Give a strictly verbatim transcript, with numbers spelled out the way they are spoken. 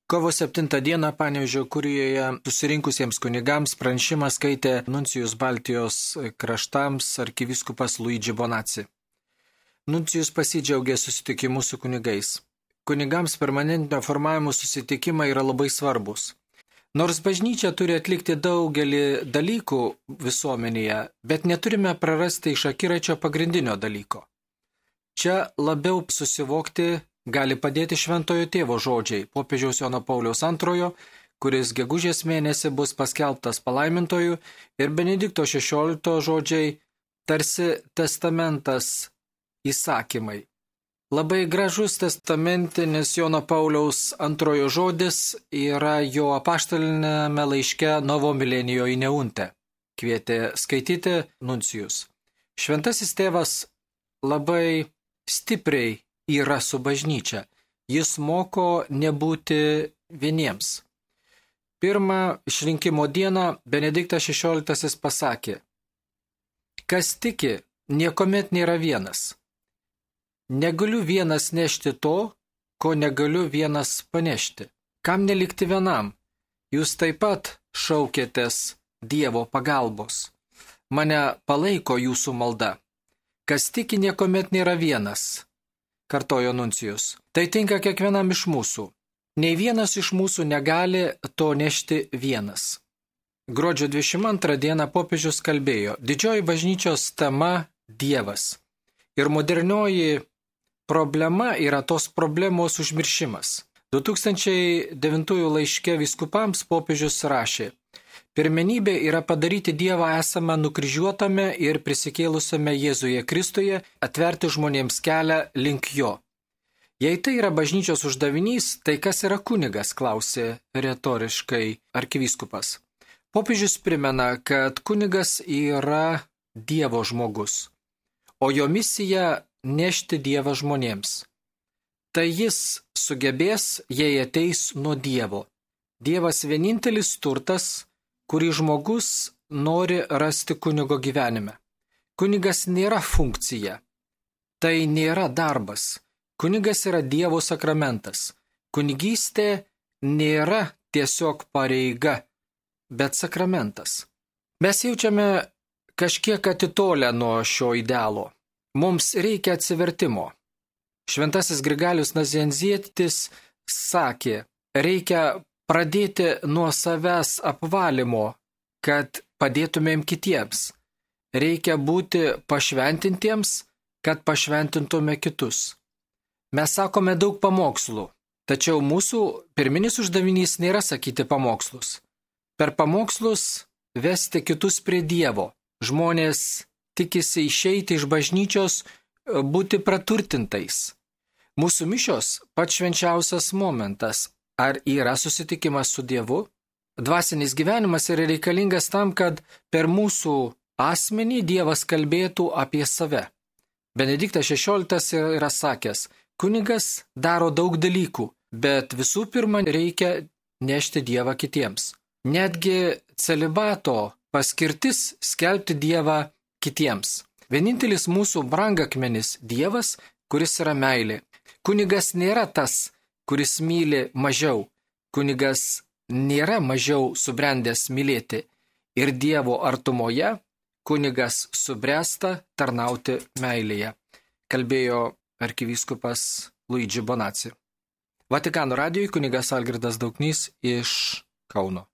Kovo septintą dieną Panevėžio kurijoje susirinkusiems kunigams pranešimą skaitė nuncijus Baltijos kraštams arkivyskupas Luigi Bonazzi. Nuncijus pasidžiaugė susitikimu su kunigais. Kunigams permanentinio formavimo susitikimai yra labai svarbus. Nors bažnyčia turi atlikti daugelį dalykų visuomenėje, bet neturime prarasti iš akiračio pagrindinio dalyko. Čia labiau susivokti gali padėti Šventojo Tėvo žodžiai popiežiaus Jono Pauliaus antrojo, kuris gegužės mėnesį bus paskelbtas palaimintoju, ir Benedikto šešioliktojo žodžiai tarsi testamentas įsakymai. Labai gražus testamentinis Jono Pauliaus antrojo žodis yra jo apaštalinėme laiške Novo Milenijo in Eunte. Kvietė skaityti nuncijus. Šventasis tėvas labai stipriai yra su bažnyčia. Jis moko nebūti vieniems. Pirmą išrinkimo dieną Benediktas šešioliktasis pasakė: kas tiki, niekuomet nėra vienas. Negaliu vienas nešti to, ko negaliu vienas panešti. Kam nelikti vienam? Jūs taip pat šaukėtės Dievo pagalbos. Mane palaiko jūsų malda. Kas tiki, niekuomet nėra vienas, kartojo nuncijus. Tai tinka kiekvienam iš mūsų. Nei vienas iš mūsų negali to nešti vienas. Gruodžio dvidešimt antrą dieną popiežius kalbėjo: didžioji bažnyčios tema Dievas. Ir modernioji problema yra tos problemos užmiršimas. du tūkstančiai devintųjų laiške vyskupams popiežius rašė: pirmenybė yra padaryti Dievą esamą nukryžiuotame ir prisikėlusiame Jėzuje Kristuje, atverti žmonėms kelią link jo. Jei tai yra bažnyčios uždavinys, tai kas yra kunigas, klausė retoriškai arkivyskupas. Popiežius primena, kad kunigas yra Dievo žmogus, o jo misija nešti Dievą žmonėms. Tai jis sugebės, jei ateis nuo Dievo. Dievas vienintelis turtas, kurį žmogus nori rasti kunigo gyvenime. Kunigas nėra funkcija. Tai nėra darbas. Kunigas yra Dievo sakramentas. Kunigystė nėra tiesiog pareiga, bet sakramentas. Mes jaučiame kažkiek atitolę nuo šio idealo. Mums reikia atsivertimo. Šventasis Grigalius Nazianzietis sakė: reikia pradėti nuo savęs apvalymo, kad padėtumėm kitiems. Reikia būti pašventintiems, kad pašventintume kitus. Mes sakome daug pamokslų, tačiau mūsų pirminis uždavinys nėra sakyti pamokslus. Per pamokslus vesti kitus prie Dievo. Žmonės tikisi išeiti iš bažnyčios, būti praturtintais. Mūsų mišios pats švenčiausias momentas. Ar yra susitikimas su Dievu? Dvasinis gyvenimas yra reikalingas tam, kad per mūsų asmenį Dievas kalbėtų apie save. Benediktas šešioliktas yra sakęs: kunigas daro daug dalykų, bet visų pirma reikia nešti Dievą kitiems. Netgi celibato paskirtis skelbti Dievą kitiems. Vienintelis mūsų brangakmenis Dievas, kuris yra meilė. Kunigas nėra tas, kuris myli mažiau. Kunigas nėra mažiau subrendęs mylėti. Ir Dievo artumoje kunigas subręsta tarnauti meilėje, kalbėjo arkivyskupas Luigi Bonazzi. Vatikano radijui kunigas Algirdas Dauknys iš Kauno.